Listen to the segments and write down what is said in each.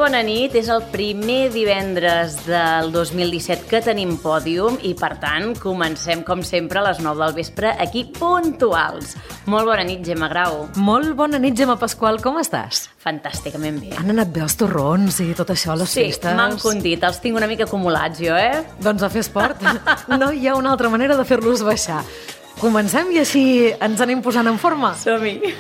bona nit. És el primer divendres del 2017 que tenim pòdium i, per tant, comencem, com sempre, a les 9 del vespre, aquí puntuals. Molt bona nit, Gemma Grau. Molt bona nit, Gemma Pasqual. Com estàs? Fantàsticament bé. Han anat bé els torrons i tot això, les festes? Sí, m'han condit. Els tinc una mica acumulats, jo, Doncs a fer esport. No hi ha una altra manera de fer-los baixar. Comencem i així ens anem posant en forma. Som-hi.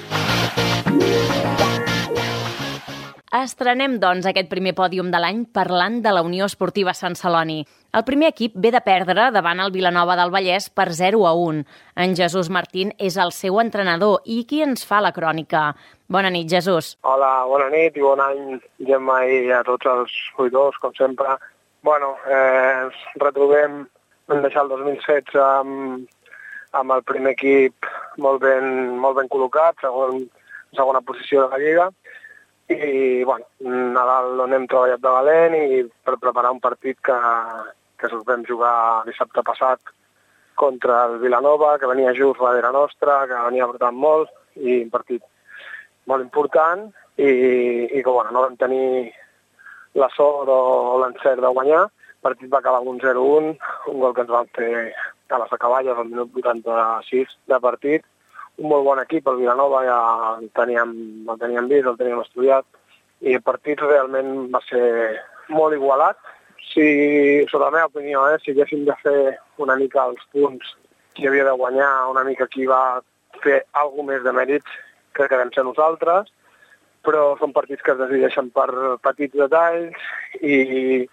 Estrenem, doncs, aquest primer pòdium de l'any parlant de la Unió Esportiva Sant Celoni. El primer equip ve de perdre davant el Vilanova del Vallès per 0-1. En Jesús Martín és el seu entrenador i qui ens fa la crònica. Bona nit, Jesús. Hola, bona nit i bon any, Gemma, i a tots els oïdors, com sempre. Ens retrobem, vam deixar el 2016 amb el primer equip molt ben col·locat, segona posició de la Lliga. I, Nadal on hem treballat de valent i per preparar un partit que vam jugar dissabte passat contra el Vilanova, que venia just darrere nostra, que venia apretant molt, i un partit molt important, i que no vam tenir la sort o l'encert de guanyar. El partit va acabar amb un 0-1, un gol que ens van fer a les acaballes al minut 86 de partit. Un molt bon equip, el Vilanova, ja el teníem vist, el teníem estudiat, i el partit realment va ser molt igualat. Sota la meva opinió, si haguéssim de fer una mica els punts, qui havia de guanyar, una mica qui va fer alguna més de mèrits, crec que vam ser nosaltres, però són partits que es decideixen per petits detalls i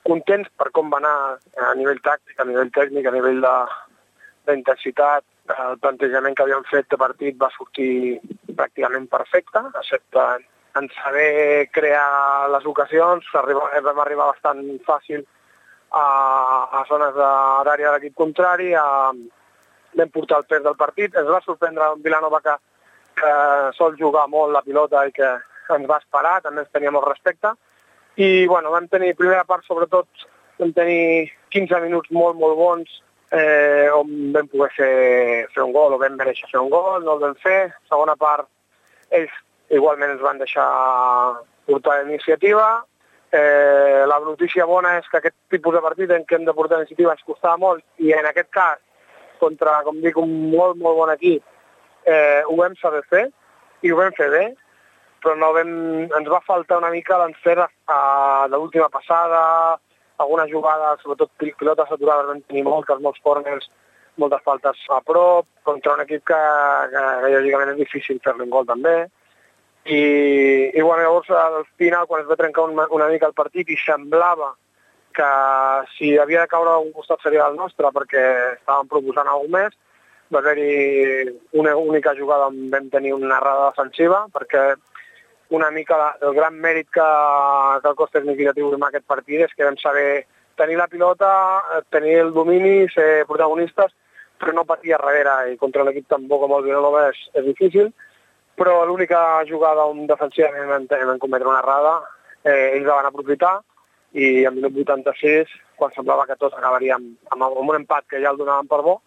contents per com va anar a nivell tàctic, a nivell tècnic, a nivell d'intensitat. El plantejament que havíem fet de partit va sortir pràcticament perfecte, excepte en saber crear les ocasions. Vam arribar bastant fàcil a zones d'àrea de l'equip contrari, vam portar el pes del partit. Ens va sorprendre un Vilanova que sol jugar molt la pilota i que ens va esperar, també ens tenia molt respecte. I vam tenir, primera part sobretot, vam tenir 15 minuts molt bons, on vam poder fer un gol o vam mereixer fer un gol, no el vam fer. Segona part, ells igualment ens van deixar portar l'iniciativa. La notícia bona és que aquest tipus de partit en què hem de portar l'iniciativa ens costava molt, i en aquest cas, contra, com dic, un molt bon equip, ho vam saber fer i ho vam fer bé, però ens va faltar una mica l'encert de l'última passada, algunes jugades, sobretot pilotes aturades, vam tenir molts corners, moltes faltes a prop, contra un equip que lògicament és difícil fer-li un gol també. I llavors al final, quan es va trencar una mica el partit i semblava que si havia de caure un costat seria el nostre perquè estàvem proposant alguna més, va haver-hi una única jugada on vam tenir una errada defensiva, perquè una mica el gran mèrit que el cos significatiu en aquest partit és que vam saber tenir la pilota, tenir el domini, ser protagonistes, però no patir a darrere, i contra l'equip tampoc com el Vilanova és difícil. Però l'única jugada on defensivament vam cometre una errada, ells la van aprofitar, i al minut 86, quan semblava que tot acabaria amb un empat que ja el donaven per bo,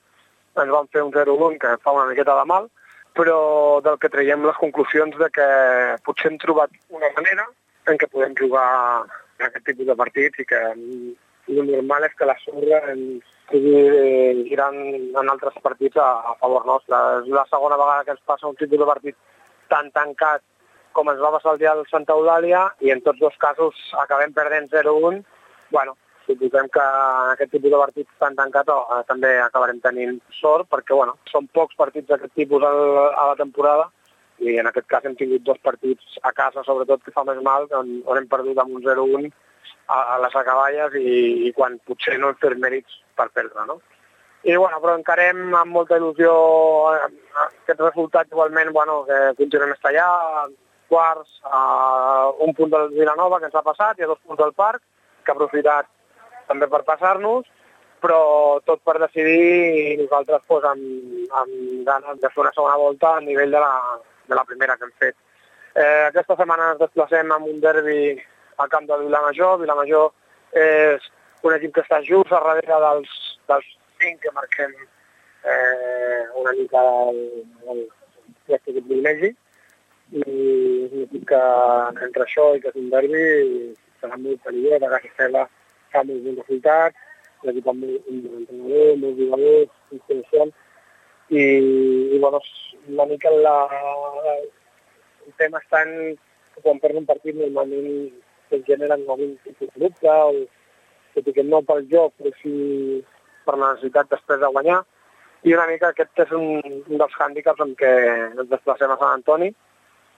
ens van fer un 0-1 que fa una miqueta de mal, però del que traiem les conclusions de que potser hem trobat una manera en què podem jugar aquest tipus de partits i que el normal és que la sorra ens estigui girant en altres partits a favor nostre. És la segona vegada que ens passa un tipus de partit tan tancat com ens va passar el dia del Santa Eulàlia, i en tots dos casos acabem perdent 0-1. Suposem que en aquest tipus de partits tan tancat també acabarem tenint sort, perquè són pocs partits d'aquest tipus a la temporada, i en aquest cas hem tingut dos partits a casa, sobretot, que fa més mal, on hem perdut amb un 0-1 a les acaballes i quan potser no hem fet mèrits per perdre, no? Però encarem amb molta il·lusió aquest resultat, igualment, que continuem a estar allà, quarts, a un punt del Vilanova que ens ha passat i a 2 punts del Parc, que ha aprofitat també per passar-nos, però tot per decidir, i nosaltres amb ganes de fer una segona volta a nivell de la primera que hem fet. Aquesta setmana ens desplacem amb un derbi al camp del Vilamajor. Vilamajor és un equip que està just a darrere dels 5 que marquem una mica el privilegi. i és un equip que entre això i que és un derbi serà molt perillós, a casa seva fa molt bons resultats, l'equip amb un entrenador, molt jugadors, institucions, i bueno, una mica el tema està en que quan perds un partit normalment es generen algun tipus de dubte, o tot i que no pel joc, però sí per la necessitat després de guanyar. I una mica aquest és un dels hàndicaps en què ens desplacem a Sant Antoni,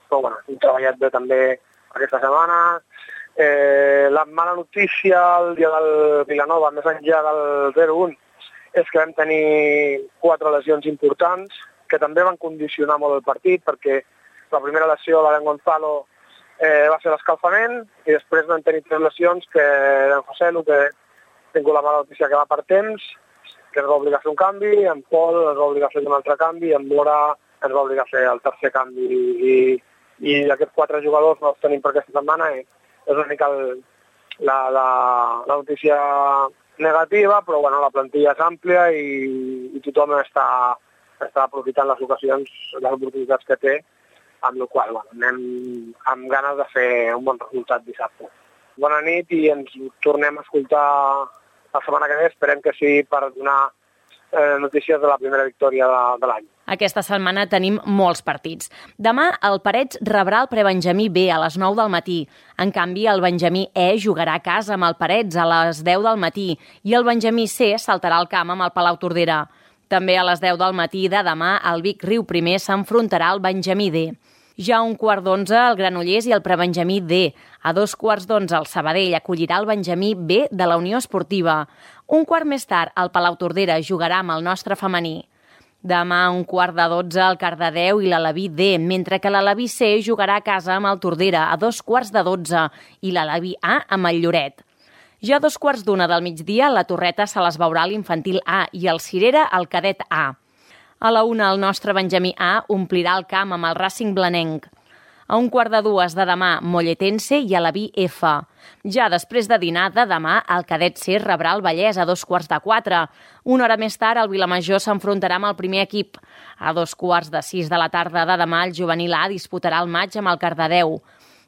però bueno, hem treballat bé també aquesta setmana. La mala notícia el dia del Vilanova, més enllà del 0-1, és que vam tenir 4 lesions importants que també van condicionar molt el partit, perquè la primera lesió, la d'en Gonzalo, va ser l'escalfament, i després vam tenir 3 lesions, que en José, que ha tingut la mala notícia que va per temps, que ens va obligar a fer un canvi, en Pol ens va obligar a fer un altre canvi, en Mora ens va obligar a fer el tercer canvi, i aquests 4 jugadors no els tenim per aquesta setmana, i és una mica la notícia negativa, però bueno, la plantilla és àmplia i tothom està aprofitant les oportunitats que té, amb la qual cosa anem amb ganes de fer un bon resultat dissabte. Bona nit i ens tornem a escoltar la setmana que ve, esperem que sigui per donar notícies de la primera victòria de l'any. Aquesta setmana tenim molts partits. Demà el Parets rebrà el prebenjamí B a les 9 del matí. En canvi, el benjamí E jugarà a casa amb el Parets a les 10 del matí i el benjamí C saltarà al camp amb el Palau Tordera. També a les 10 del matí de demà el Vic Riu Primer s'enfrontarà al benjamí D. Ja a 11:15 el Granollers i el prebenjamí D. A 11:15 el Sabadell acollirà el benjamí B de la Unió Esportiva. Un quart més tard el Palau Tordera jugarà amb el nostre femení. Demà a 11:45 el Cardedeu i l'Alaví D, mentre que l'Alaví C jugarà a casa amb el Tordera a 11:15 i l'Alaví A amb el Lloret. Ja a 2:15 del migdia la Torreta se les veurà l'Infantil A i el Cirera el Cadet A. A la 1 el nostre benjamí A omplirà el camp amb el Racing Blanenc. A 1:15 de demà Molletense i Alaví F. Ja després de dinar de demà el Cadet C rebrà el Vallès a 3:45. Una hora més tard el Vilamajor s'enfrontarà amb el primer equip. A 5:45 de la tarda de demà el Juvenil A disputarà el maig amb el Cardedeu.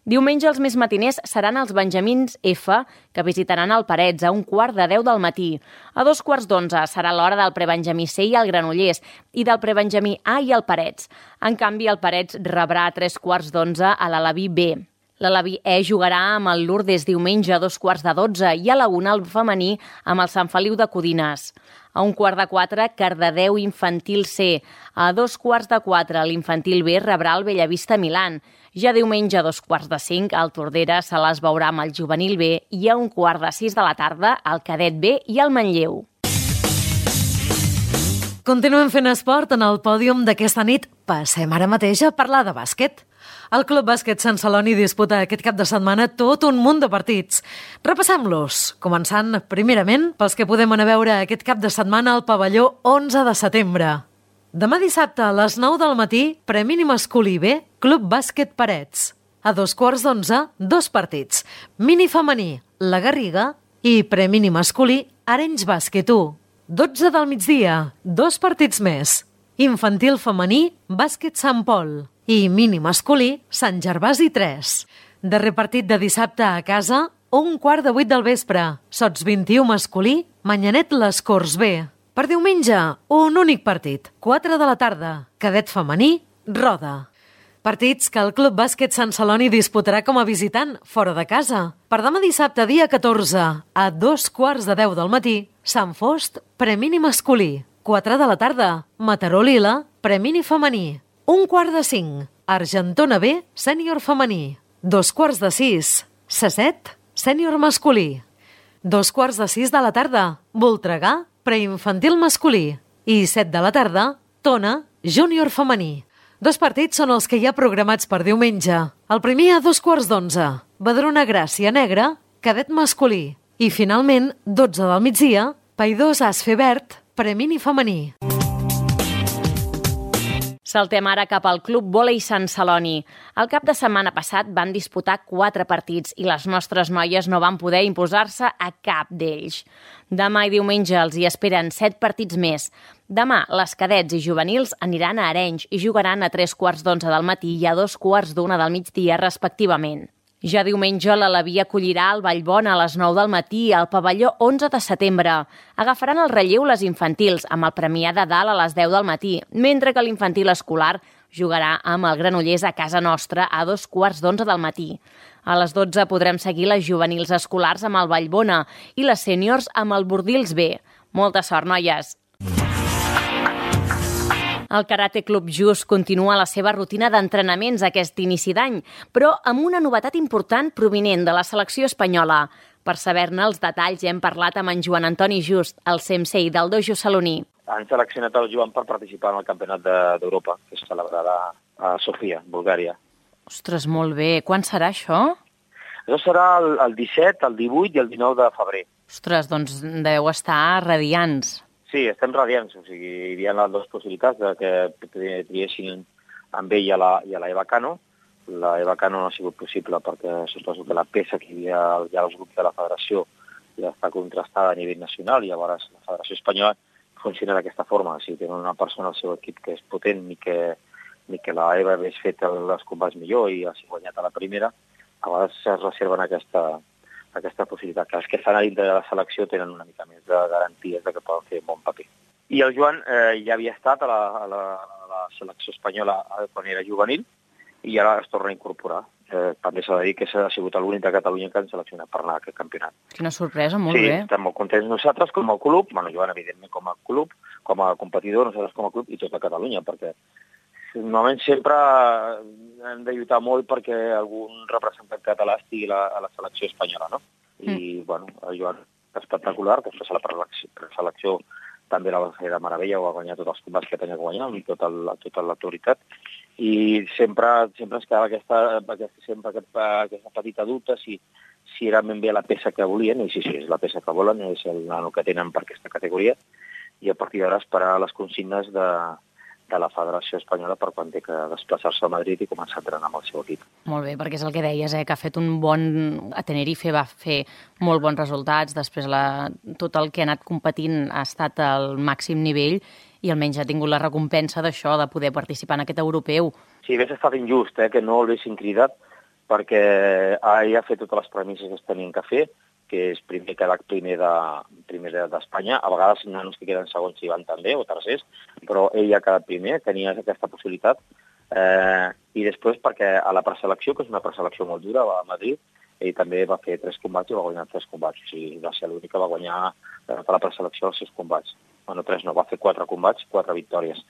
Diumenge els més matiners seran els benjamins F, que visitaran el Parets a 9:15 del matí. A 2:15 serà l'hora del prebenjamí C i el Granollers i del prebenjamí A i el Parets. En canvi, el Parets rebrà a 3:15 a l'Alaví B. L'Alaví E jugarà amb el Lourdes diumenge a 2:15 i a la 1 el femení amb el Sant Feliu de Codines. A 3:15 Cardedeu Infantil C. A 3:15 l'Infantil B rebrà el Bellavista Milan. Ja diumenge a 4:45 el Tordera se les veurà amb el Juvenil B i a 5:15 de la tarda el Cadet B i el Manlleu. Continuem fent esport en el pòdium d'aquesta nit. Passem ara mateix a parlar de bàsquet. El Club Bàsquet Sant Celoni disputa aquest cap de setmana tot un munt de partits. Repassem-los, començant primerament pels que podem anar a veure aquest cap de setmana al pavelló 11 de setembre. Demà dissabte a les 9 del matí, Premini masculí B, Club Bàsquet Parets. A 2:15, 2 partits. Mini femení, la Garriga, i Premini masculí, Arenys Bàsquet 1. 12 del migdia, 2 partits més. Infantil femení, Bàsquet Sant Pol. I mini masculí, Sant Gervasi 3. Darrer partit de dissabte a casa, 7:15 del vespre. Sots 21 masculí, Manyanet Les Corts B. Per diumenge, un únic partit, 4 de la tarda, Cadet femení, Roda. Partits que el Club Bàsquet Sant Celoni disputarà com a visitant fora de casa. Per demà dissabte, dia 14, a 2:15 del matí, Sant Fost, Premini masculí. 4 de la tarda, Mataró Lila, Premini femení. 1:45, Argentona B, sènior femení. 5:45, Sasset, sènior masculí. 5:45 de la tarda, Voltregà, preinfantil masculí. I 7 de la tarda, Tona, júnior femení. 2 partits són els que hi ha programats per diumenge. El primer a 2:15, Badrona Gràcia Negra, cadet masculí. I finalment, 12 del migdia, Paidós Asfe Verd, premini femení. Saltem ara cap al Club Vòlei Sant Celoni. El cap de setmana passat van disputar 4 partits i les nostres noies no van poder imposar-se a cap d'ells. Demà i diumenge els hi esperen 7 partits més. Demà, les cadets i juvenils aniran a Arenys i jugaran a 3:15 del matí i a 2:15 del migdia, respectivament. Ja diumenge, l'Alaví acollirà el Vallbona a les 9 del matí al pavelló 11 de setembre. Agafaran el relleu les infantils, amb el Premià de Dalt a les 10 del matí, mentre que l'infantil escolar jugarà amb el Granollers a casa nostra a 2:15 del matí. A les 12 podrem seguir les juvenils escolars amb el Vallbona i les sèniors amb el Bordils B. Molta sort, noies! El Karate Club Just continua la seva rutina d'entrenaments aquest inici d'any, però amb una novetat important provinent de la selecció espanyola. Per saber-ne els detalls hem parlat amb en Joan Antoni Just, el sensei del dojo saloní. Han seleccionat el Joan per participar en el Campionat d'Europa, que es celebrarà a Sofia, Bulgària. Ostres, molt bé. Quan serà això? Això serà el 17, el 18 i el 19 de febrer. Ostres, doncs deveu estar radiants. Sí, estem radiants, o sigui, hi havia les dues possibilitats de que triessin amb ell i a la Eva Cano. La Eva Cano no ha sigut possible perquè suposo que la peça que hi havia ja als grups de la federació ja està contrastada a nivell nacional i llavors la federació espanyola funciona d'aquesta forma. Si tenen una persona al seu equip que és potent ni que la Eva hagués fet els combats millor i hagi guanyat a la primera, a vegades es reserven aquesta possibilitat. Que els que estan a dintre de la selecció tenen una mica més de garanties de que poden fer un bon paper. I el Joan ja havia estat a la selecció espanyola quan era juvenil i ara es torna a incorporar. També s'ha de dir que ha sigut l'únic de Catalunya que han seleccionat per anar a aquest campionat. Quina sorpresa, molt bé. Sí, bé. estem molt contents nosaltres com a club, Joan evidentment com a club, com a competidor, nosaltres com a club i tota Catalunya, perquè normalment sempre hem de lluitar molt perquè algun representant català estigui a la selecció espanyola, no? I, el Joan és espectacular, després a la preselecció també la va fer de meravella, va guanyar tots els combats que tenia que guanyar, amb tota l'autoritat, i sempre ens quedava aquesta petita dubte si era ben bé la peça que volien, i sí, és la peça que volen, és el nano que tenen per aquesta categoria, i a partir d'ara esperar les consignes de la Federació Espanyola per quan té que desplaçar-se a Madrid i començar a entrenar amb el seu equip. Molt bé, perquè és el que deies, que ha fet un bon... A Tenerife va fer molt bons resultats, després tot el que ha anat competint ha estat al màxim nivell i almenys ha tingut la recompensa d'això, de poder participar en aquest europeu. Sí, hauria estat injust que no l'haguessin cridat, perquè ell ha fet totes les premisses que es tenien que fer, que és primer d'Espanya. A vegades nanos que queden segons hi van també, o tercers, però ell ha quedat primer, tenia aquesta possibilitat. I després perquè a la preselecció, que és una preselecció molt dura, va a Madrid, ell també va fer 3 combats i va guanyar 3 combats. O sigui, va ser l'únic que va guanyar per la preselecció els 6 combats. Bueno, 3 no, va fer 4 combats, 4 victòries.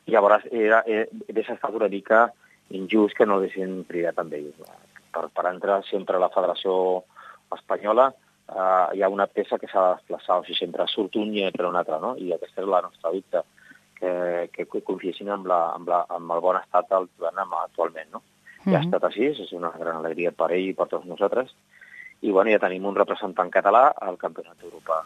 I llavors hauria estat una mica injust que no l'haguessin cridat amb ell. Per entrar sempre a la Federació Espanyola hi ha una peça que s'ha de desplaçar, o sigui, sempre surt un i entra un altre, no? I aquesta és la nostra dubte, que confiessin amb el bon estat del Joan actualment, no? Ja ha estat així, és una gran alegria per ell i per tots nosaltres, i ja tenim un representant català al Campionat d'Europa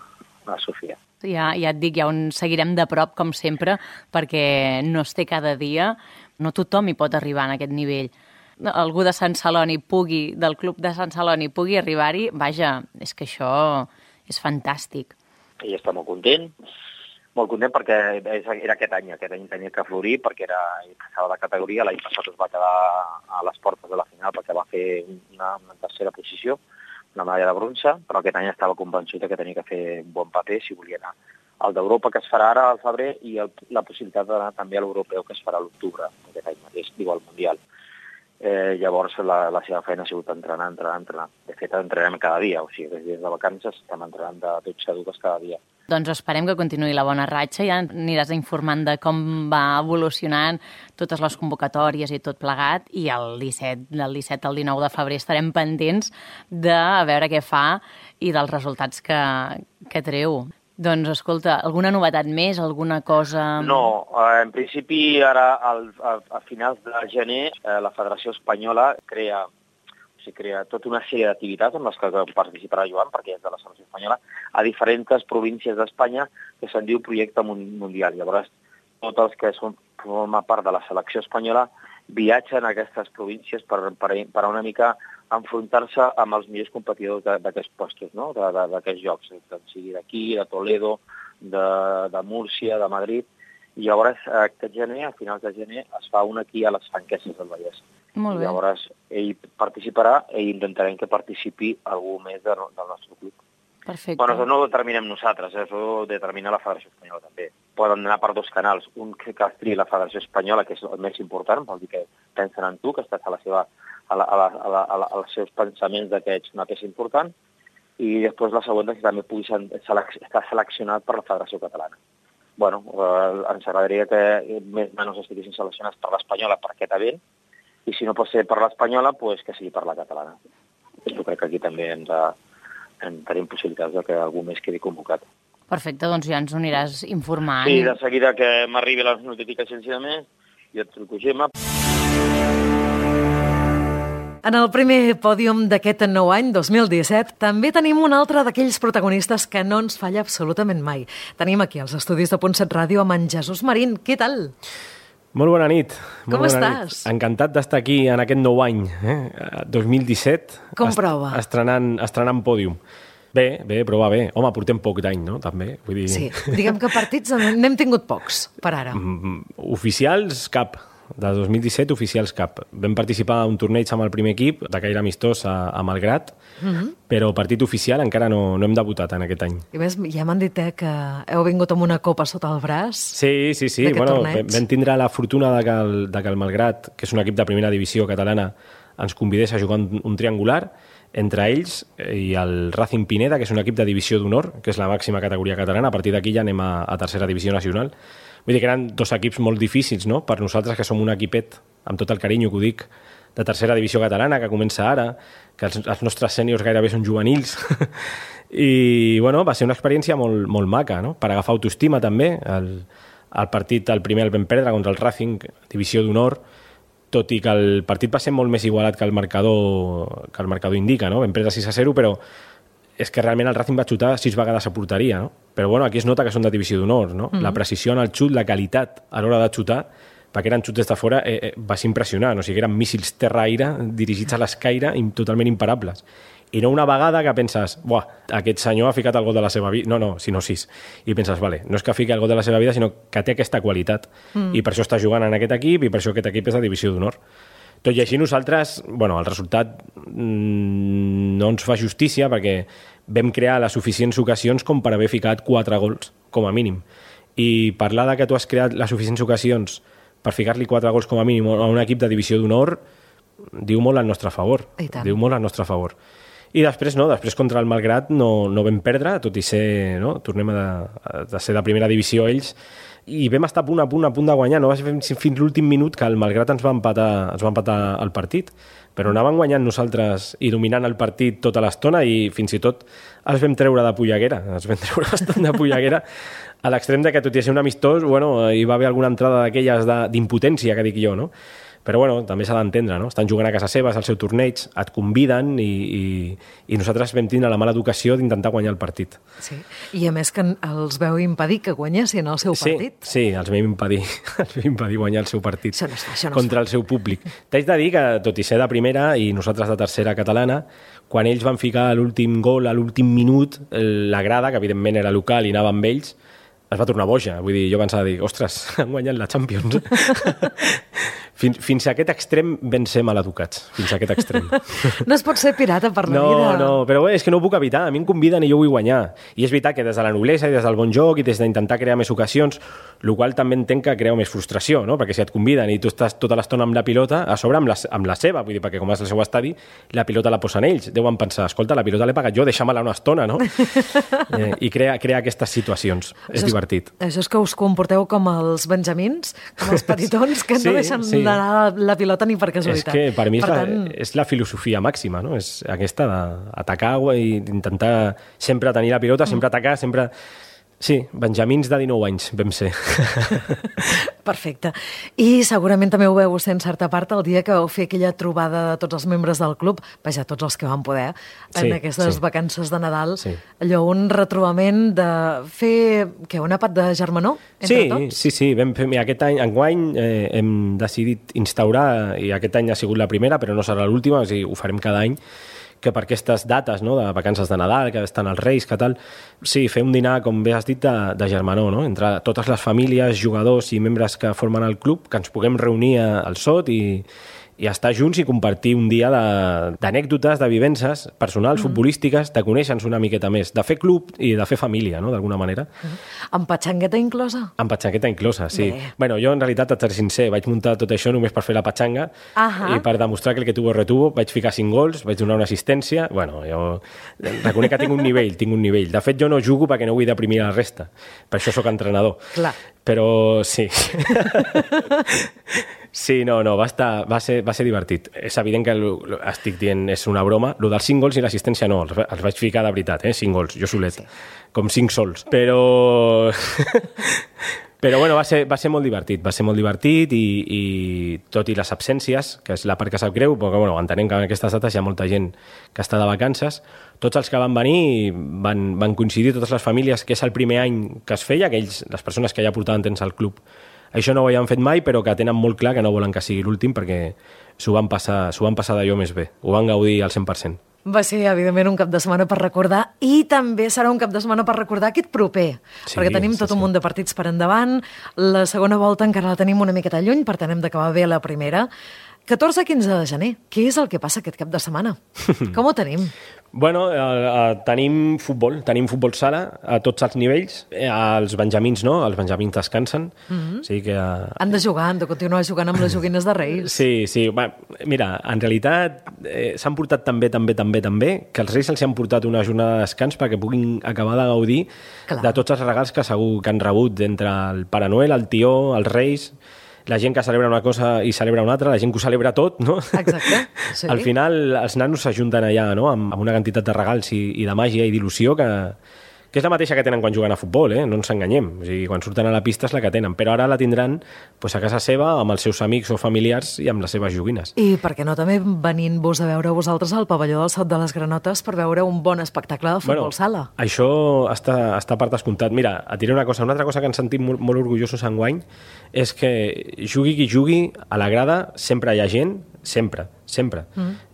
a Sofia. Ja et dic, ja on seguirem de prop, com sempre, perquè no es té cada dia, no tothom hi pot arribar en aquest nivell. Algú de Sant Celoni del club de Sant Celoni pugui arribar-hi, vaja, és que això és fantàstic. Ell està molt content perquè era aquest any tenia que florir perquè ell passava de categoria, l'any passat es va quedar a les portes de la final perquè va fer una tercera posició, una medalla de bronze, però aquest any estava convençut que tenia que fer un bon paper si volia anar al d'Europa, que es farà ara al febrer, i la possibilitat d'anar també a l'europeu, que es farà a l'octubre, aquest any mateix, diu al Mundial. Llavors la seva feina ha sigut entrenar. De fet, entrenem cada dia, o sigui, des de vacances estem entrenant de 12 a 2 cada dia. Doncs esperem que continuï la bona ratxa, ja aniràs informant de com va evolucionant totes les convocatòries i tot plegat, i del 17 al 19 de febrer estarem pendents de veure què fa i dels resultats que treu. Doncs, escolta, alguna novetat més, alguna cosa... No, en principi ara a finals de gener la Federació Espanyola crea tota una sèrie d'activitats en les que participarà Joan, perquè és de la selecció espanyola, a diferents províncies d'Espanya que se'n diu Projecte Mundial. Llavors tots els que formen part de la selecció espanyola viatgen a aquestes províncies per una mica enfrontar-se amb els millors competidors d'aquests postos, no? D'aquests jocs, sigui d'aquí, de Toledo, de Múrcia, de Madrid. I llavors aquest gener, a finals de gener, es fa un aquí a les Franqueses del Vallès. Molt bé. I llavors ell participarà i intentarem que participi algú més del nostre club. Perfecte. Bueno, això no ho determinem nosaltres, això ho determina la Federació Espanyola també. Poden anar per dos canals, un que triï la Federació Espanyola, que és el més important, vol dir que pensen en tu, que estàs als seus pensaments que ets una peça important, i després la següent que també pugui estar seleccionat per la Federació Catalana. Bueno, ens agradaria que més o menys estiguessin seleccionats per l'Espanyola per aquest event, i si no pot ser per l'Espanyola, pues que sigui per la catalana. Jo crec que aquí també tenim possibilitats de que algú més quedi convocat. Perfecte, doncs ja ens ho aniràs informant. Sí, de seguida que m'arribi les notificacions i de més, jo et truco, Gemma. En el primer pòdium d'aquest nou any, 2017, també tenim un altre d'aquells protagonistes que no ens falla absolutament mai. Tenim aquí als estudis de Punt 7 Ràdio amb en Jesús Marín. Què tal? Molt bona nit. Com estàs? Encantat d'estar aquí en aquest nou any, 2017. Com prova? Estrenant pòdium. Bé, però va bé. Home, portem poc d'any, no? També. Vull dir... Sí, diguem que partits n'hem tingut pocs, per ara. Oficials, cap. De 2017, oficials cap. Vam participar a un torneig amb el primer equip, de caire amistós a Malgrat, però partit oficial encara no hem debutat en aquest any. I més, ja m'han dit que heu vingut amb una copa sota el braç. Sí. Bueno, vam tindre la fortuna de que el Malgrat, que és un equip de primera divisió catalana, ens convidés a jugar un triangular entre ells i el Racing Pineda, que és un equip de divisió d'honor, que és la màxima categoria catalana. A partir d'aquí ja anem a tercera divisió nacional. Vull dir que eren dos equips molt difícils, no?, per nosaltres, que som un equipet, amb tot el carinyo que ho dic, de tercera divisió catalana, que comença ara, que els nostres sèniors gairebé són juvenils. I, bueno, va ser una experiència molt, molt maca, no?, per agafar autoestima, també. El partit, el primer el vam perdre contra el Racing, divisió d'honor, tot i que el partit va ser molt més igualat que el marcador indica, no? Vam perdre 6-0, però és que realment el Racing va xutar 6 vegades a porteria, no? Però bueno, aquí es nota que són de divisió d'honor, no? La precisió en el xut, la qualitat a l'hora de xutar, perquè eren xuts des de fora, va ser impressionant. O sigui, eren míssils terra-aire dirigits a l'escaire totalment imparables. I no una vegada que penses, buah, aquest senyor ha ficat el gol de la seva vida. No, sinó 6. I penses, vale, no és que fiqui el gol de la seva vida, sinó que té aquesta qualitat. I per això està jugant en aquest equip i per això aquest equip és de divisió d'honor. Tot i així nosaltres, bueno, el resultat no ens fa justícia perquè vam crear les suficients ocasions com per haver ficat 4 gols, com a mínim. I parlar de que tu has creat les suficients ocasions per ficar-li 4 gols com a mínim a un equip de divisió d'honor diu molt al nostre favor. Diu molt al nostre favor. I després després contra el Malgrat no vam perdre, tot i ser, no? Tornem de ser de primera divisió ells, i vam estar a punt de guanyar. No va ser fins l'últim minut que el Malgrat ens va empatar el partit, però anàvem guanyant nosaltres i dominant el partit tota l'estona, i fins i tot els vam treure de polleguera, bastant de polleguera, a l'extrem de que, tot i ser un amistós, bueno, hi va haver alguna entrada d'aquelles d'impotència, que dic jo, no? Però bueno, també s'ha d'entendre, no? Estan jugant a casa seva, és el seu torneig, et conviden i nosaltres vam tindre la mala educació d'intentar guanyar el partit. Sí, i a més que els veu impedir que guanyessin el seu partit. Sí, els vam impedir guanyar el seu partit això no contra el seu públic. T'haig de dir que, tot i ser de primera i nosaltres de tercera catalana, quan ells van ficar l'últim gol a l'últim minut, la grada, que evidentment era local i anava amb ells, es va tornar boja. Vull dir, jo pensava, ostres, han guanyat la Champions. Fins a aquest extrem vam ser maleducats. Fins a aquest extrem. No es pot ser pirata per la vida. No, però bé, és que no ho puc evitar. A mi em conviden i jo vull guanyar. I és veritat que des de la noblesa i des del bon joc i des d'intentar crear més ocasions, el qual també entenc que crea més frustració, no? Perquè si et conviden i tu estàs tota l'estona amb la pilota, a sobre amb la seva, vull dir, perquè com és el seu estadi, la pilota la posen ells. Deuen pensar, escolta, la pilota l'he pagat jo, deixa-me-la una estona, no? I crea aquestes situacions. És divertit. Això és que us comporteu com els benjamins, com els petitons, que no deixen d'anar la pilota ni per casualitat. És que per mi és la filosofia màxima, no? És aquesta d'atacar i d'intentar sempre tenir la pilota, sempre atacar, sempre... Sí, benjamins de 19 anys vam ser. Perfecte. I segurament també ho veu en certa part el dia que vau fer aquella trobada de tots els membres del club, vaja, tots els que van poder, en aquestes vacances de Nadal, allò, un retrobament de fer, un àpat de germanor entre tots? Sí, vam fer, aquest any, enguany, hem decidit instaurar, i aquest any ha sigut la primera, però no serà l'última, o sigui, ho farem cada any, que per aquestes dates, no?, de vacances de Nadal, que estan els Reis, que tal, sí, fer un dinar, com bé has dit, de germanor, no?, entre totes les famílies, jugadors i membres que formen el club, que ens puguem reunir al SOT i estar junts i compartir un dia d'anècdotes, de vivències personals, futbolístiques, de conèixer-nos una miqueta més, de fer club i de fer família, no?, d'alguna manera. Amb patxangueta inclosa? Amb patxangueta inclosa, sí. Bueno, jo en realitat, et seré sincer, vaig muntar tot això només per fer la patxanga i per demostrar que el que tuvo retuvo, vaig ficar 5 gols, vaig donar una assistència, bueno, jo reconec que tinc un nivell. De fet, jo no jugo perquè no vull deprimir la resta, per això sóc entrenador. Clar. Però sí. Sí, no, va ser divertit. És evident que estic dient és una broma. Lo dels 5 gols i l'assistència no, els vaig ficar de veritat, 5 gols, jo solet, com 5 sols. Però bueno, va ser molt divertit i tot i les absències, que és la part que sap greu, perquè bueno, entenem que en aquestes dates hi ha molta gent que està de vacances, tots els que van venir van coincidir, totes les famílies, que és el primer any que es feia, les persones que ja portaven temps al club. Això no ho havien fet mai, però que tenen molt clar que no volen que sigui l'últim perquè s'ho van passar d'allò més bé. Ho van gaudir al 100%. Va ser, evidentment, un cap de setmana per recordar i també serà un cap de setmana per recordar aquest proper, perquè tenim tot un munt de partits per endavant. La segona volta encara la tenim una miqueta lluny, per tant hem d'acabar bé la primera. 14-15 de gener. Què és el que passa aquest cap de setmana? Com ho tenim? Bueno, tenim futbol sala a tots els nivells. Els benjamins no, els benjamins descansen. O sigui que, han de jugar, han de continuar jugant amb les joguines de Reis. Sí. Mira, en realitat s'han portat també, que els Reis els han portat una jornada de descans perquè puguin acabar de gaudir de tots els regals que segur que han rebut entre el Pare Noel, el Tió, els Reis, la gent que celebra una cosa i celebra una altra, la gent que ho celebra tot, no? Exacte. Sí. Al final, els nanos s'ajunten allà, no?, amb una quantitat de regals i de màgia i d'il·lusió que és la mateixa que tenen quan juguen a futbol, no ens enganyem. O sigui, quan surten a la pista és la que tenen, però ara la tindran a casa seva, amb els seus amics o familiars i amb les seves joguines. I per què no també venint-vos a veure vosaltres al pavelló del Sot de les Granotes per veure un bon espectacle de futbol sala? Això està per descomptat. Mira, et diré una altra cosa que ens sentim molt orgullosos enguany és que jugui qui jugui, a la grada sempre hi ha gent, sempre.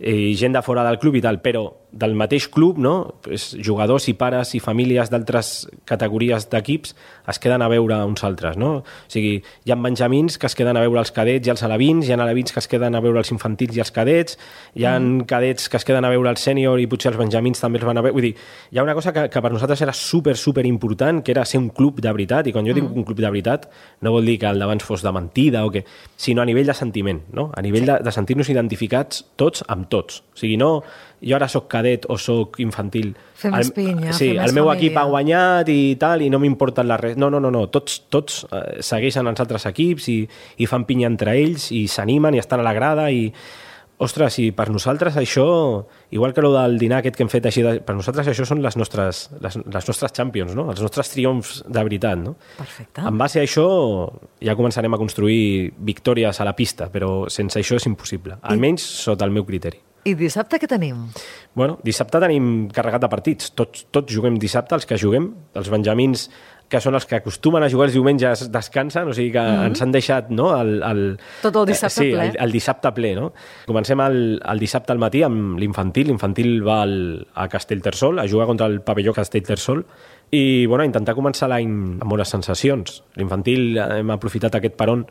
I gent de fora del club i tal, però del mateix club, no? Jugadors i pares i famílies d'altres categories d'equips es queden a veure uns altres, no? O sigui, hi ha benjamins que es queden a veure els cadets i els alevins, hi ha alevins que es queden a veure els infantils i els cadets, hi ha cadets que es queden a veure el sènior i potser els benjamins també els van a veure. Vull dir, hi ha una cosa que per nosaltres era super important, que era ser un club de veritat, i quan jo dic un club de veritat no vol dir que el d'abans fos de mentida, sinó a nivell de sentiment, no? A nivell de sentir-nos identificats tots amb tots. O sigui, no jo ara sóc cadet o sóc infantil. Fer més pinya, sí, fer més el meu família. equip ha guanyat i tal, i no m'importen la res. No. Tots segueixen els altres equips i fan pinya entre ells i s'animen i estan a la grada i... Ostres, i per nosaltres això, igual que el del dinar aquest que hem fet així, per nosaltres això són les nostres champions, no? Els nostres triomfs de veritat, no? Perfecte. En base a això ja començarem a construir victòries a la pista, però sense això és impossible, almenys sota el meu criteri. I dissabte què tenim? Bueno, dissabte tenim carregat de partits. Tots juguem dissabte, els que juguem. Els benjamins, que són els que acostumen a jugar els diumenges, descansen, o sigui que ens han deixat, no, tot el dissabte ple. Sí, el dissabte ple, no? Comencem el dissabte al matí amb l'infantil. L'infantil va a Castellterçol a jugar contra el pavelló Castellterçol i, bueno, a intentar començar l'any amb bones sensacions. L'infantil hem aprofitat aquest peron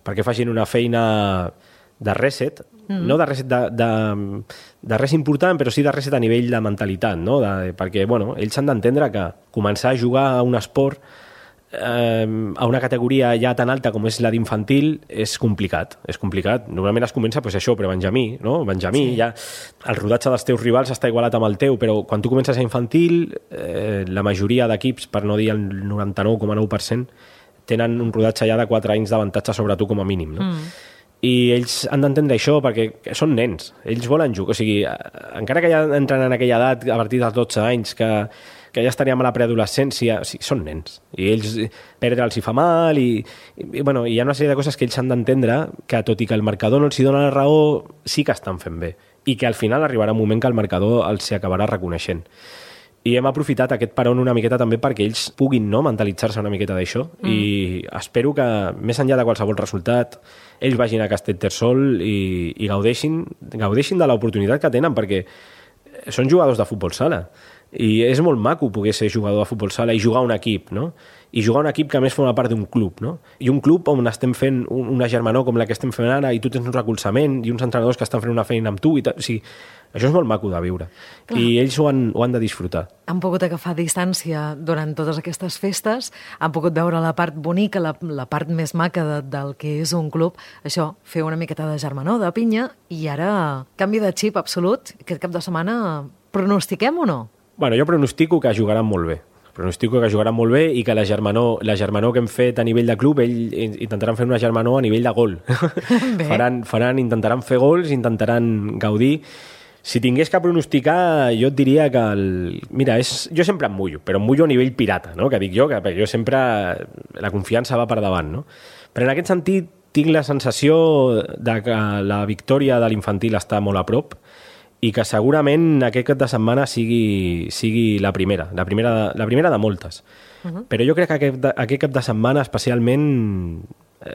perquè facin una feina de reset, no de reset de res important, però sí de reset a nivell de mentalitat, no? Perquè, bueno, ells han d'entendre que començar a jugar a un esport a una categoria ja tan alta com és la d'infantil és complicat. Normalment es comença això, però benjamí, no? Benjamí, sí. Ja el rodatge dels teus rivals està igualat amb el teu, però quan tu comences a infantil, la majoria d'equips, per no dir el 99,9%, tenen un rodatge ja de 4 anys d'avantatge sobre tu com a mínim, no? I ells han d'entendre això perquè són nens, ells volen jugar, o sigui, encara que ja entren en aquella edat a partir dels 12 anys que que ja estaríem a la preadolescència, sí, són nens, i ells perdre'ls hi fa mal, i bueno, hi ha una sèrie de coses que ells han d'entendre que, tot i que el marcador no els hi dona la raó, sí que estan fent bé, i que al final arribarà un moment que el marcador els acabarà reconeixent. I hem aprofitat aquest paron una miqueta també perquè ells puguin mentalitzar-se una miqueta d'això, i espero que, més enllà de qualsevol resultat, ells vagin a Castellterçol i gaudeixin de l'oportunitat que tenen, perquè són jugadors de futbol sala, i és molt maco poder ser jugador de futbol sala i jugar a un equip, no? I jugar a un equip que a més forma part d'un club, no? I un club on estem fent una germanor com la que estem fent ara, i tu tens un recolzament i uns entrenadors que estan fent una feina amb tu, i o sigui, això és molt maco de viure. Clar. I ells ho han de disfrutar. Han pogut agafar distància durant totes aquestes festes, han pogut veure la part bonica, la part més maca del que és un club, això, fer una miqueta de germanor, de pinya, i ara canvi de xip absolut. Aquest cap de setmana pronostiquem o no? Bueno, jo pronostico que jugaran molt bé. Pronostico que jugaran molt bé i que la germanor que hem fet a nivell de club, ells intentaran fer una germanor a nivell de gol. Intentaran fer gols, intentaran gaudir. Si tingués que pronosticar, jo et diria que mira, jo sempre em mullo, però em mullo a nivell pirata, no? Que dic jo, que jo sempre la confiança va per davant, no? Però en aquest sentit tinc la sensació de que la victòria de l'infantil està molt a prop, i que segurament aquest cap de setmana sigui la primera de moltes. Però jo crec que aquest cap de setmana especialment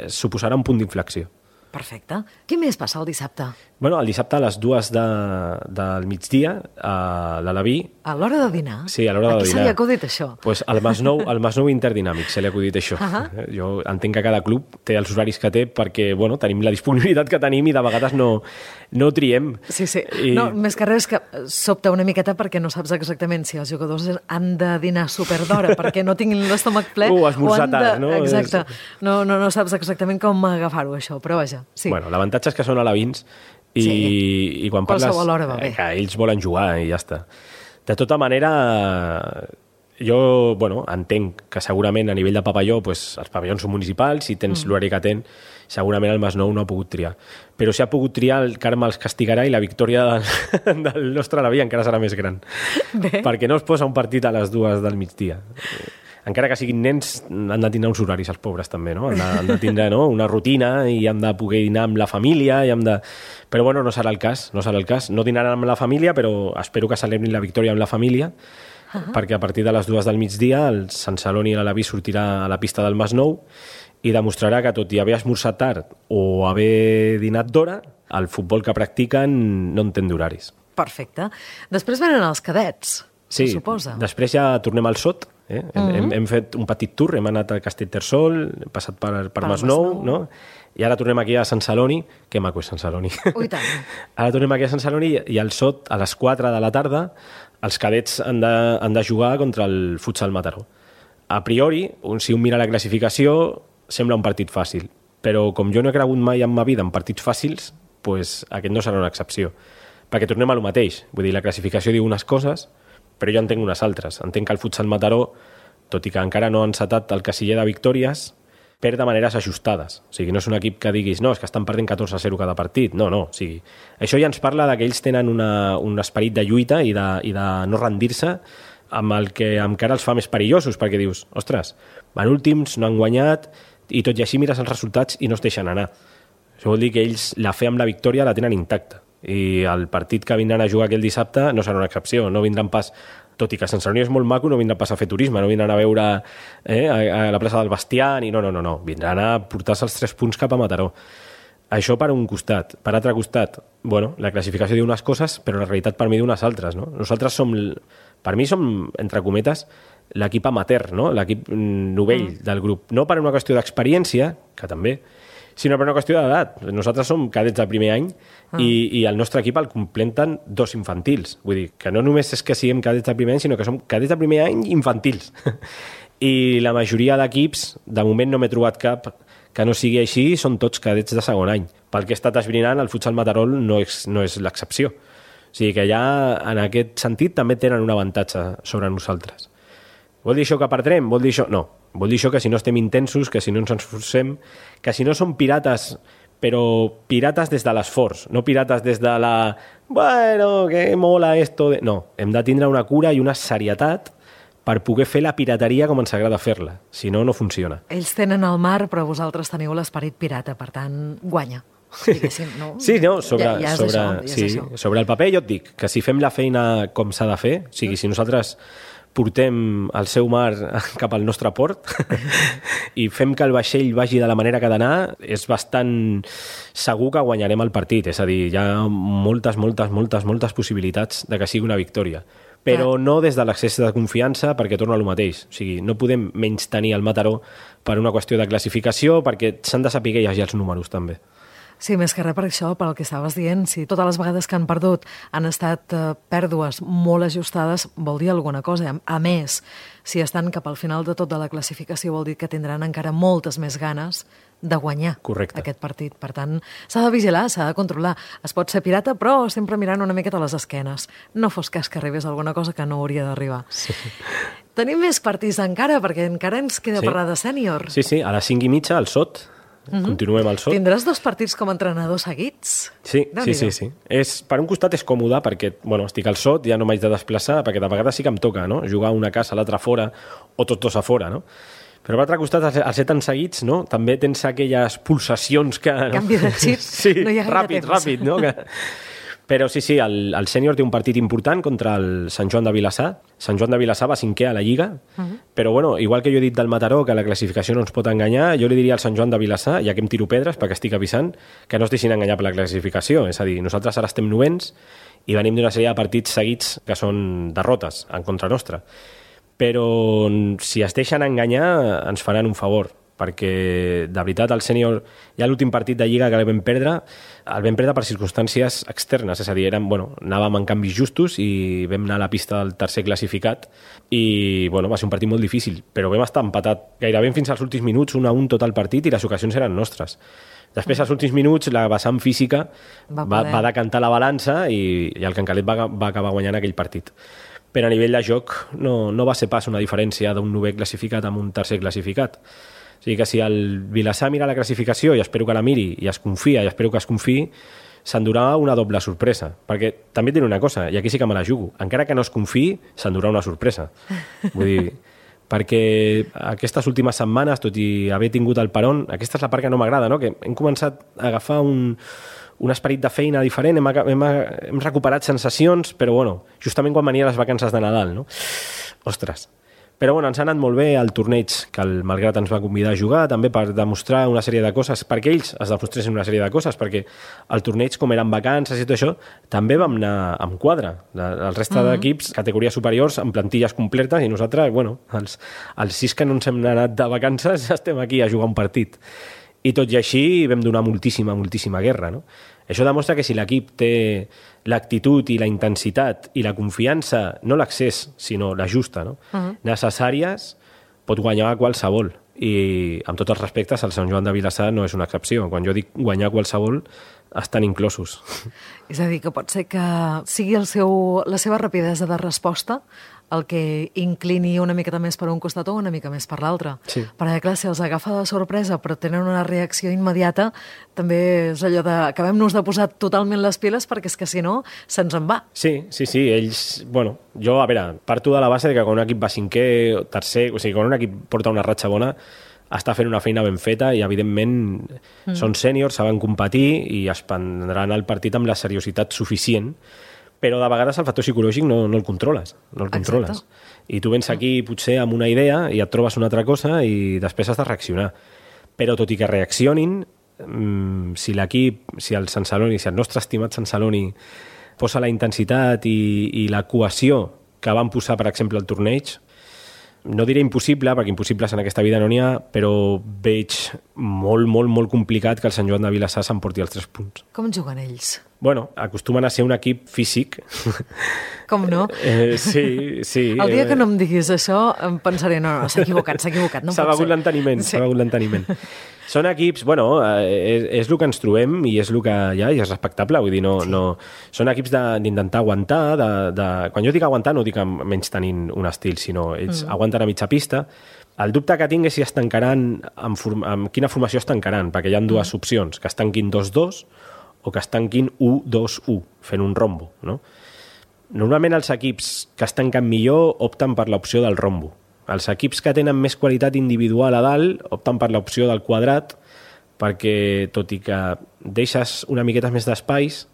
suposarà un punt d'inflexió. Perfecte. Què més passa el dissabte? Bueno, el dissabte a les 2 del migdia, a l'Alaví... A l'hora de dinar? Sí, a l'hora de dinar. A qui se li ha acudit això? Pues al Masnou Interdinàmic se li ha acudit això. Jo entenc que cada club té els horaris que té perquè, bueno, tenim la disponibilitat que tenim i de vegades no triem. Sí. No, més que res que sobta una miqueta perquè no saps exactament si els jugadors han de dinar superdora perquè no tinguin l'estómac ple esmorzar tard, no? Exacte. No saps exactament com agafar-ho, això, però vaja. Sí. Bueno, l'avantatge és que són alevins i quan parles que ells volen jugar i ja està. De tota manera, jo entenc que segurament a nivell de pavelló els pavellons són municipals, si tens l'horari que tens, segurament el Masnou no ha pogut triar. Però si ha pogut triar, el karma els castigarà i la victòria del nostre Alaví encara serà més gran. Perquè no es posa un partit a les 2 del migdia. Encara que siguin nens, han de tindre uns horaris, els pobres també, no? Han de tindre una rutina i han de poder dinar amb la família. Però bueno, no serà el cas. No dinaran amb la família, però espero que celebrin la victòria amb la família, perquè a partir de les 2 del migdia el Sant Celoni i l'Alaví sortirà a la pista del Masnou i demostrarà que, tot i haver esmorzat tard o haver dinat d'hora, el futbol que practiquen no entén d'horaris. Perfecte. Després venen els cadets, se suposa. Després ja tornem al SOT. Hem fet un petit tour, hem anat a Castellterçol, hem passat per Masnou, no? I ara tornem aquí a Sant Celoni, que maco és Sant Celoni. Ui, tant. Ara tornem aquí a Sant Celoni i al SOT, a les 4 de la tarda, els cadets han de jugar contra el Futsal Mataró. A priori, si un mira la classificació, sembla un partit fàcil, però com jo no he cregut mai en ma vida en partits fàcils, aquest no serà una excepció, perquè tornem a lo mateix. Vull dir, la classificació diu unes coses, però jo entenc unes altres. Entenc que el Futsal Mataró, tot i que encara no ha encetat el casiller de victòries, perd de maneres ajustades. O sigui, no és un equip que diguis no, és que estan perdent 14-0 cada partit. No. O sigui, això ja ens parla que ells tenen un esperit de lluita i de no rendir-se, amb el que encara els fa més perillosos, perquè dius, ostres, van últims, no han guanyat, i tot i així mires els resultats i no es deixen anar. Això vol dir que ells la fe amb la victòria la tenen intacta. I el partit que vindran a jugar aquell dissabte no serà una excepció, no vindran pas, tot i que Sant Celoni és molt maco, no vindran pas a fer turisme, no vindran a veure a la plaça del Bestiar, no, vindran a portar-se els 3 punts cap a Mataró. Això per un costat. Per altre costat, la classificació diu unes coses, però la realitat per mi diu unes altres, no? Nosaltres som, entre cometes, l'equip amateur, no? L'equip novell del grup. No per una qüestió d'experiència, que també, sinó per una qüestió d'edat. Nosaltres som cadets del primer any i el nostre equip el completen 2 infantils. Vull dir, que no només és que siguem cadets del primer any, sinó que som cadets del primer any infantils. I la majoria d'equips, de moment no m'he trobat cap que no sigui així, són tots cadets de segon any. Pel que he estat esbrinant, el Futsal Mataró no és l'excepció. O sigui que ja, en aquest sentit, també tenen un avantatge sobre nosaltres. Vol dir això que perdrem? Vol dir això? No. Vol dir això que si no estem intensos, que si no ens esforcem, que si no som pirates, però pirates des de l'esforç, no pirates des de la... Bueno, que mola esto... No, hem de tindre una cura i una serietat per poder fer la pirateria com ens agrada fer-la. Si no, no funciona. Ells tenen el mar, però vosaltres teniu l'esperit pirata, per tant, guanya. No? Sí, no, sobre el paper jo et dic que si fem la feina com s'ha de fer, o sigui, si nosaltres portem el seu mar cap al nostre port i fem que el vaixell vagi de la manera que ha d'anar, és bastant segur que guanyarem el partit. És a dir, hi ha moltes possibilitats de que sigui una victòria. Però no des de l'accés de confiança, perquè torna al mateix. O sigui, no podem menys tenir el Mataró per una qüestió de classificació, perquè s'han de saber llegir els números, també. Sí, més que res per això, pel que estaves dient, si totes les vegades que han perdut han estat pèrdues molt ajustades, vol dir alguna cosa. A més, si estan cap al final de tot de la classificació, vol dir que tindran encara moltes més ganes de guanyar aquest partit. Per tant, s'ha de vigilar, s'ha de controlar. Es pot ser pirata, però sempre mirant una miqueta a les esquenes. No fos cas que arribés alguna cosa que no hauria d'arribar. Sí. Tenim més partits encara, perquè encara ens queda parlar de sènior. Sí, a les 5:30 al SOT. Continuem al SOT. Tindràs 2 partits com a entrenador seguits? Sí. Per un costat és còmode perquè, estic al SOT, ja no m'haig de desplaçar, perquè de vegades sí que em toca, no? Jugar una casa, l'altra fora, o tots dos a fora, no? Però per l'altre costat, al ser tan seguits, no? També tens aquelles pulsacions que... Canvi de xip, no hi ha gaire temps. Ràpid, no? Però sí, el sènior té un partit important contra el Sant Joan de Vilassar. Sant Joan de Vilassar va 5è a la Lliga, però igual que jo he dit del Mataró, que la classificació no ens pot enganyar, jo li diria al Sant Joan de Vilassar, ja que em tiro pedres perquè estic avisant, que no es deixin enganyar per la classificació. És a dir, nosaltres ara estem 9ens i venim d'una sèrie de partits seguits que són derrotes en contra nostra. Però si es deixen enganyar ens faran un favor, perquè de veritat el sènior, ja l'últim partit de Lliga que el vam perdre per circumstàncies externes, és a dir, anàvem en canvis justos i vam anar a la pista del tercer classificat i va ser un partit molt difícil, però vam estar empatat gairebé fins als últims minuts, 1-1 tot el partit, i les ocasions eren nostres. Després, als últims minuts, la vessant física va decantar la balança i el Cancalet va acabar guanyant aquell partit. Però a nivell de joc no va ser pas una diferència d'un 9è classificat amb un tercer classificat. O sigui que si el Vilassar mira la classificació, i espero que la miri, i es confia, i espero que es confiï, s'endurà una doble sorpresa. Perquè també diré una cosa, i aquí sí que me la jugo, encara que no es confiï, s'endurà una sorpresa. Vull dir, perquè aquestes últimes setmanes, tot i haver tingut el peron, aquesta és la part que no m'agrada, no? Que hem començat a agafar un esperit de feina diferent, hem recuperat sensacions, però justament quan venien les vacances de Nadal, no? Ostres. Però ens ha anat molt bé el torneig que el Malgrat ens va convidar a jugar, també per demostrar una sèrie de coses, perquè ells es demostressin una sèrie de coses, perquè el torneig, com eren vacances i tot això, també vam anar amb quadre. El reste d'equips, categories superiors, amb plantilles completes, i nosaltres, els 6 que no ens hem anat de vacances, estem aquí a jugar un partit. I tot i així vam donar moltíssima guerra, no? Això demostra que si l'equip té l'actitud i la intensitat i la confiança, no l'accés, sinó la justa, no? Necessàries, pot guanyar qualsevol. I amb tots els respectes, el Sant Joan de Vilassar no és una excepció. Quan jo dic guanyar qualsevol, estan inclosos. És a dir, que pot ser que sigui la seva rapidesa de resposta el que inclini una miqueta més per un costat o una mica més per l'altre. Sí. Perquè, clar, si els agafa de sorpresa però tenen una reacció immediata, també és allò de acabem-nos de posar totalment les piles perquè és que si no, se'ns en va. Sí, ells... Jo, a veure, parto de la base de que quan un equip va 5è, tercer... O sigui, quan un equip porta una ratxa bona, està fent una feina ben feta i, evidentment, són sèniors, saben competir i es prendran el partit amb la seriositat suficient, però de vegades el factor psicològic no el controles. Exacte. I tu vens aquí potser amb una idea i et trobes una altra cosa i després has de reaccionar. Però tot i que reaccionin, si l'equip, si el Sant Celoni, si el nostre estimat Sant Celoni posa la intensitat i la cohesió que van posar, per exemple, al torneig, no diré impossible, perquè impossibles en aquesta vida no n'hi ha, però veig molt complicat que el Sant Joan de Vilassar s'emporti els 3 punts. Com juguen ells? Acostumen a ser un equip físic. Com no? Sí. El dia que no em diguis això, em pensaré, no, s'ha equivocat, no s'ha begut l'enteniment. Són equips, és el que ens trobem i és el que hi ha i és respectable, vull dir, no. Són equips d'intentar aguantar, quan jo dic aguantar no dic menys tenint un estil, sinó ells aguanten a mitja pista. El dubte que tinc és si es tancaran, amb quina formació es tancaran, perquè hi ha 2 opcions, que es tanquin 2-2 o que es tanquin 1-2-1, fent un rombo, no? Normalment els equips que es tanquen millor opten per l'opció del rombo. Els equips que tenen més qualitat individual a dalt opten per l'opció del quadrat, perquè tot i que deixes una miqueta més d'espais,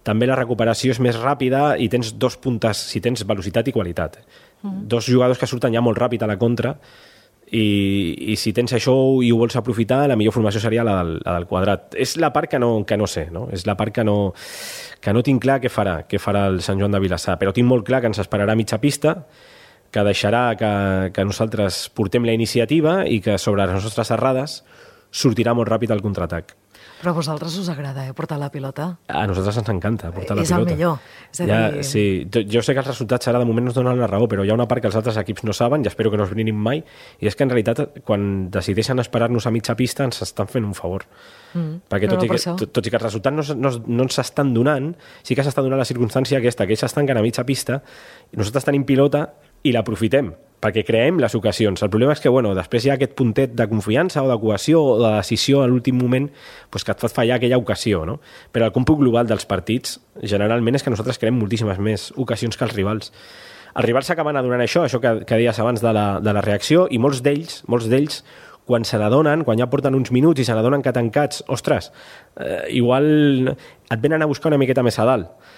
també la recuperació és més ràpida i tens dos puntes, si tens velocitat i qualitat. Dos jugadors que surten ja molt ràpid a la contra, i si tens això i ho vols aprofitar, la millor formació seria la del quadrat. És la part que no sé, no? És la part que no tinc clar què farà el Sant Joan de Vilassar, però tinc molt clar que ens esperarà a mitja pista, que deixarà que nosaltres portem la iniciativa i que sobre les nostres errades sortirà molt ràpid el contraatac. Però a vosaltres us agrada, portar la pilota? A nosaltres ens encanta portar la pilota. És el millor. És a dir... Sí, jo sé que els resultats ara de moment no es donen la raó, però hi ha una part que els altres equips no saben, i espero que no es brinin mai, i és que en realitat quan decideixen esperar-nos a mitja pista ens estan fent un favor. Perquè tot i que els resultats no ens s'estan donant, sí que s'està donant la circumstància aquesta, que ells s'estanquen a mitja pista, i nosaltres tenim pilota i l'aprofitem, perquè creem les ocasions. El problema és que després hi ha aquest puntet de confiança o de cohesió o de decisió a l'últim moment que et fa fallar aquella ocasió, no? Però el còmput global dels partits generalment és que nosaltres creem moltíssimes més ocasions que els rivals. Els rivals s'acaben adonant això que deies abans de la reacció, i molts d'ells, quan se n'adonen, quan ja porten uns minuts i se n'adonen que tancats, ostres, igual et venen a buscar una miqueta més a dalt.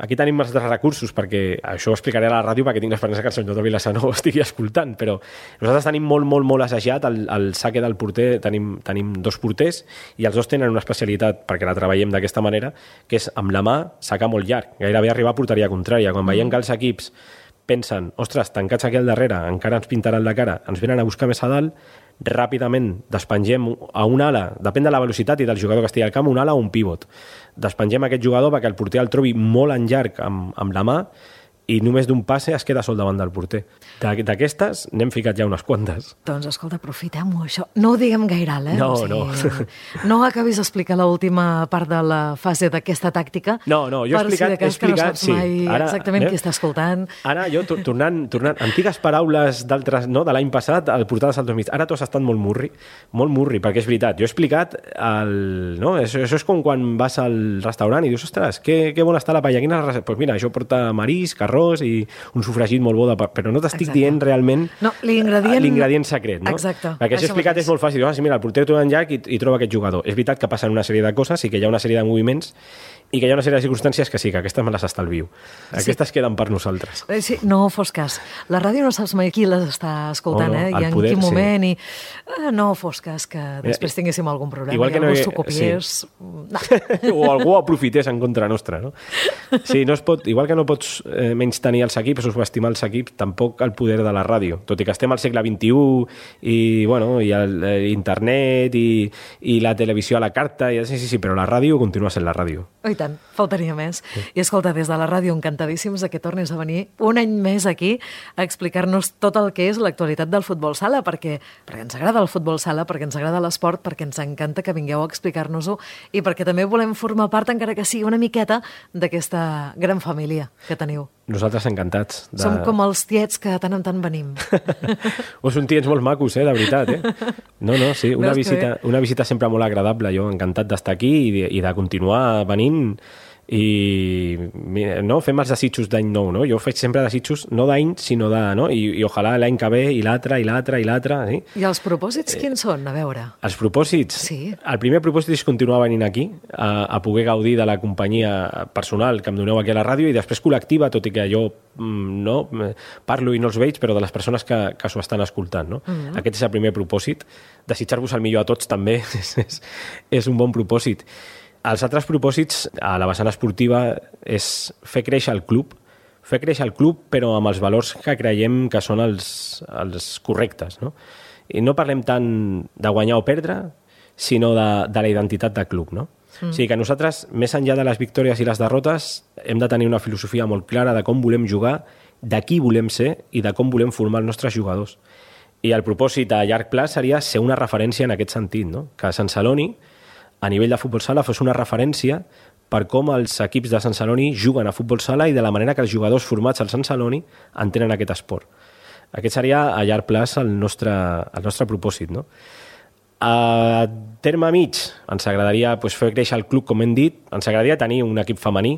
Aquí tenim els altres recursos, perquè això ho explicaré a la ràdio perquè tinc l'esperança que el senyor de Vilassar no ho estigui escoltant, però nosaltres tenim molt assajat el saque del porter, tenim dos porters i els dos tenen una especialitat, perquè la treballem d'aquesta manera, que és amb la mà sacar molt llarg, gairebé arribar a porteria contrària. Quan veiem que els equips pensen, ostres, tancats aquí al darrere, encara ens pintaran la cara, ens venen a buscar més a dalt, ràpidament despengem a un ala, depèn de la velocitat i del jugador que estigui al camp, un ala o un pivot. Despengem aquest jugador perquè el porter el trobi molt en llarg amb la mà i només d'un passe es queda sol davant del porter. D'aquestes n'hem ficat ja unes quantes. Doncs escolta, aprofitem-ho, això. No ho diguem gaire alt, No. No acabis d'explicar l'última part de la fase d'aquesta tàctica. No, jo he explicat... Per si de cas que no saps mai exactament qui està escoltant. Ara jo, tornant antigues paraules d'altres, no, de l'any passat, al portal de Saltos Mig. Ara tu has estat molt murri, perquè és veritat. Jo he explicat això és com quan vas al restaurant i dius, ostres, que bona està la paella. Doncs mira, això porta marisc, arròs i un sofregit molt bo, però no t'estic dient realment l'ingredient secret, no? Exacte. Perquè si he explicat és molt fàcil. Mira, el porter troba en llarg i troba aquest jugador. És veritat que passen una sèrie de coses i que hi ha una sèrie de moviments i que hi ha una sèrie de circumstàncies que sí, que aquestes me les estalvio. Aquestes queden per nosaltres. Sí, no fos cas. La ràdio no saps mai qui les està escoltant, i en quin moment, i no fos cas que després tinguéssim algun problema, igual que algú s'ho copiés. Sí. O algú aprofités en contra nostra, no? Sí, igual que no pots menystenir els equips o subestimar els equips, tampoc el poder de la ràdio. Tot i que estem al segle XXI i internet i la televisió a la carta, sí, però la ràdio continua sent la ràdio. I tant, faltaria més. Sí. I escolta, des de la ràdio, encantadíssims que tornis a venir un any més aquí a explicar-nos tot el que és l'actualitat del futbol sala, perquè ens agrada el futbol sala, perquè ens agrada l'esport, perquè ens encanta que vingueu a explicar-nos-ho i perquè també volem formar part, encara que sigui una miqueta, d'aquesta gran família que teniu. Nosaltres encantats. Som com els tiets que de tant en tant venim. Són tiets molt macos, de veritat. No, sí, una visita sempre molt agradable. Jo encantat d'estar aquí i de continuar venint i fem els desitjos d'any nou, no? Jo faig sempre desitjos no d'any, sinó de, no? I ojalà l'any que ve i l'altre, sí? I els propòsits quins són? A veure. Els propòsits? Sí. El primer propòsit és continuar venint aquí a poder gaudir de la companyia personal que em doneu aquí a la ràdio i després col·lectiva, tot i que jo parlo i no els veig, però de les persones que s'ho estan escoltant, no? Aquest és el primer propòsit. Desitjar-vos el millor a tots també és un bon propòsit. Els altres propòsits a la vessant esportiva és fer créixer el club, però amb els valors que creiem que són els correctes, no? I no parlem tant de guanyar o perdre, sinó de la identitat de club, no? O sigui que nosaltres, més enllà de les victòries i les derrotes, hem de tenir una filosofia molt clara de com volem jugar, de qui volem ser i de com volem formar els nostres jugadors. I el propòsit a llarg plaç seria ser una referència en aquest sentit, no? Que Sant Celoni, a nivell de futbol sala, fos una referència per com els equips de Sant Celoni juguen a futbol sala i de la manera que els jugadors formats al Sant Celoni entenen aquest esport. Aquest seria a llarg plaç el nostre propòsit, no? A terme mig ens agradaria fer créixer el club, com hem dit, ens agradaria tenir un equip femení,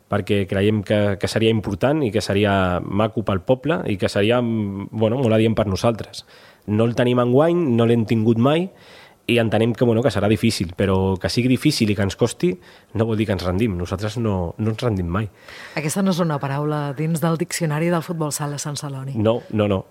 perquè creiem que seria important i que seria maco pel poble i que seria molt adient per nosaltres. No el tenim enguany, no l'hem tingut mai i entenem que serà difícil, però que sigui difícil i que ens costi no vol dir que ens rendim. Nosaltres no ens rendim mai. Aquesta no és una paraula dins del diccionari del futbol sala Sant Celoni. No.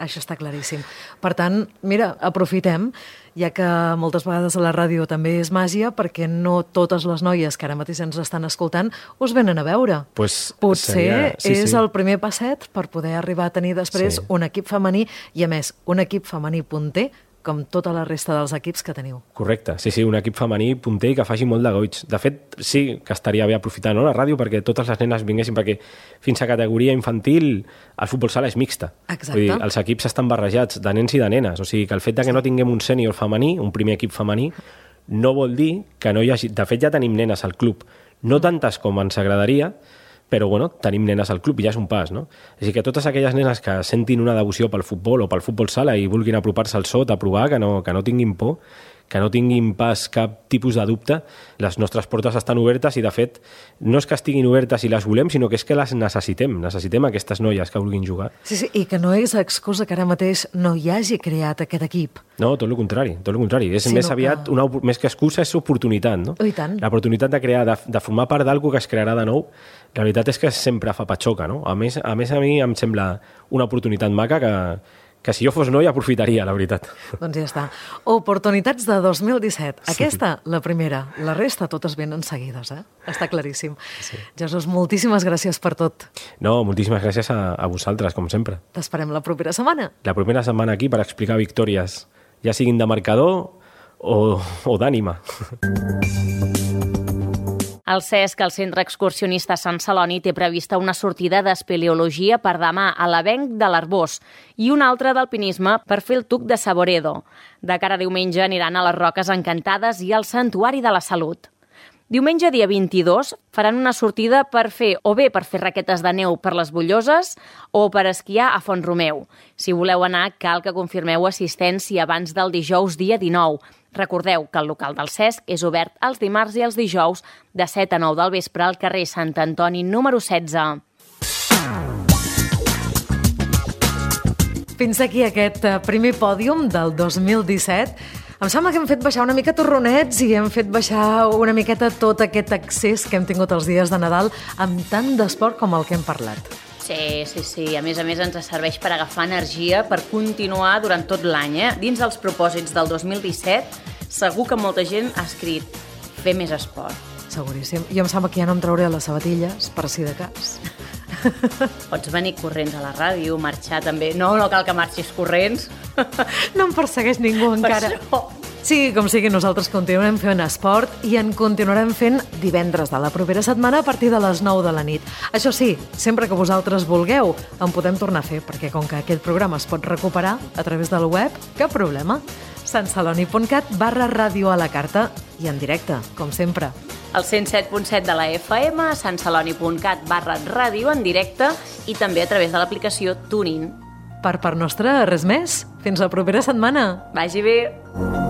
Això està claríssim. Per tant, mira, aprofitem, ja que moltes vegades a la ràdio també és màgia, perquè no totes les noies que ara mateix ens estan escoltant us venen a veure. Potser és el primer passet per poder arribar a tenir després un equip femení i, a més, un equip femení punter com tota la resta dels equips que teniu. Correcte, sí, un equip femení punter i que faci molt de goig. De fet, sí que estaria bé aprofitar la ràdio perquè totes les nenes vinguessin, perquè fins a categoria infantil el futbol sala és mixta. Exacte. Vull dir, els equips estan barrejats de nens i de nenes, o sigui que el fet que no tinguem un sènior femení, un primer equip femení, no vol dir que no hi hagi... De fet, ja tenim nenes al club, no tantes com ens agradaria, però tenim nenes al club i ja és un pas, no? Així que totes aquelles nenes que sentin una devoció pel futbol o pel futbol sala i vulguin apropar-se al SOT a provar, que no tinguin por, que no tinguin pas cap tipus de dubte, les nostres portes estan obertes i, de fet, no és que estiguin obertes i les volem, sinó que és que les necessitem aquestes noies que vulguin jugar. Sí, i que no és excusa que ara mateix no hi hagi creat aquest equip. No, tot el contrari. És més aviat, més que excusa, és oportunitat, no? I tant. L'oportunitat de crear, de formar part d'algú que es crearà de nou, la veritat és que sempre fa patxoca, no? A més, a mi em sembla una oportunitat maca que si jo fos noi aprofitaria, la veritat. Doncs ja està. Oportunitats de 2017. Aquesta, la primera. La resta, totes venen seguides, Està claríssim. Sí. Jesús, moltíssimes gràcies per tot. No, moltíssimes gràcies a vosaltres, com sempre. T'esperem la propera setmana. La propera setmana aquí per explicar victòries, ja siguin de marcador o d'ànima. El CESC, el Centre Excursionista Sant Celoni, té prevista una sortida d'espeleologia per demà a l'Avenc de l'Arbós i una altra d'alpinisme per fer el Tuc de Saboredo. De cara a diumenge aniran a les Roques Encantades i al Santuari de la Salut. Diumenge, dia 22, faran una sortida per fer raquetes de neu per les Bulloses o per esquiar a Font-romeu. Si voleu anar, cal que confirmeu assistència abans del dijous, dia 19. Recordeu que el local del CESC és obert els dimarts i els dijous de 7 a 9 del vespre al carrer Sant Antoni número 16. Fins aquí aquest primer pòdium del 2017. Em sembla que hem fet baixar una mica torronets i hem fet baixar una miqueta tot aquest accés que hem tingut els dies de Nadal amb tant d'esport com el que hem parlat. Sí. A més ens serveix per agafar energia, per continuar durant tot l'any. Dins dels propòsits del 2017, segur que molta gent ha escrit fer més esport. Seguríssim. Jo em sembla que ja no em trauré les sabatilles, per si de cas. Pots venir corrents a la ràdio, marxar també. No cal que marxis corrents. No em persegueix ningú encara. Sí, com sigui, nosaltres continuarem fent esport i en continuarem fent divendres de la propera setmana a partir de les 9 de la nit. Això sí, sempre que vosaltres vulgueu, en podem tornar a fer, perquè com que aquest programa es pot recuperar a través del web, cap problema. santceloni.cat/ràdio a la carta i en directe, com sempre. El 107.7 de la FM, santceloni.cat/ràdio en directe i també a través de l'aplicació TuneIn. Per part nostra, res més. Fins la propera setmana. Vagi bé.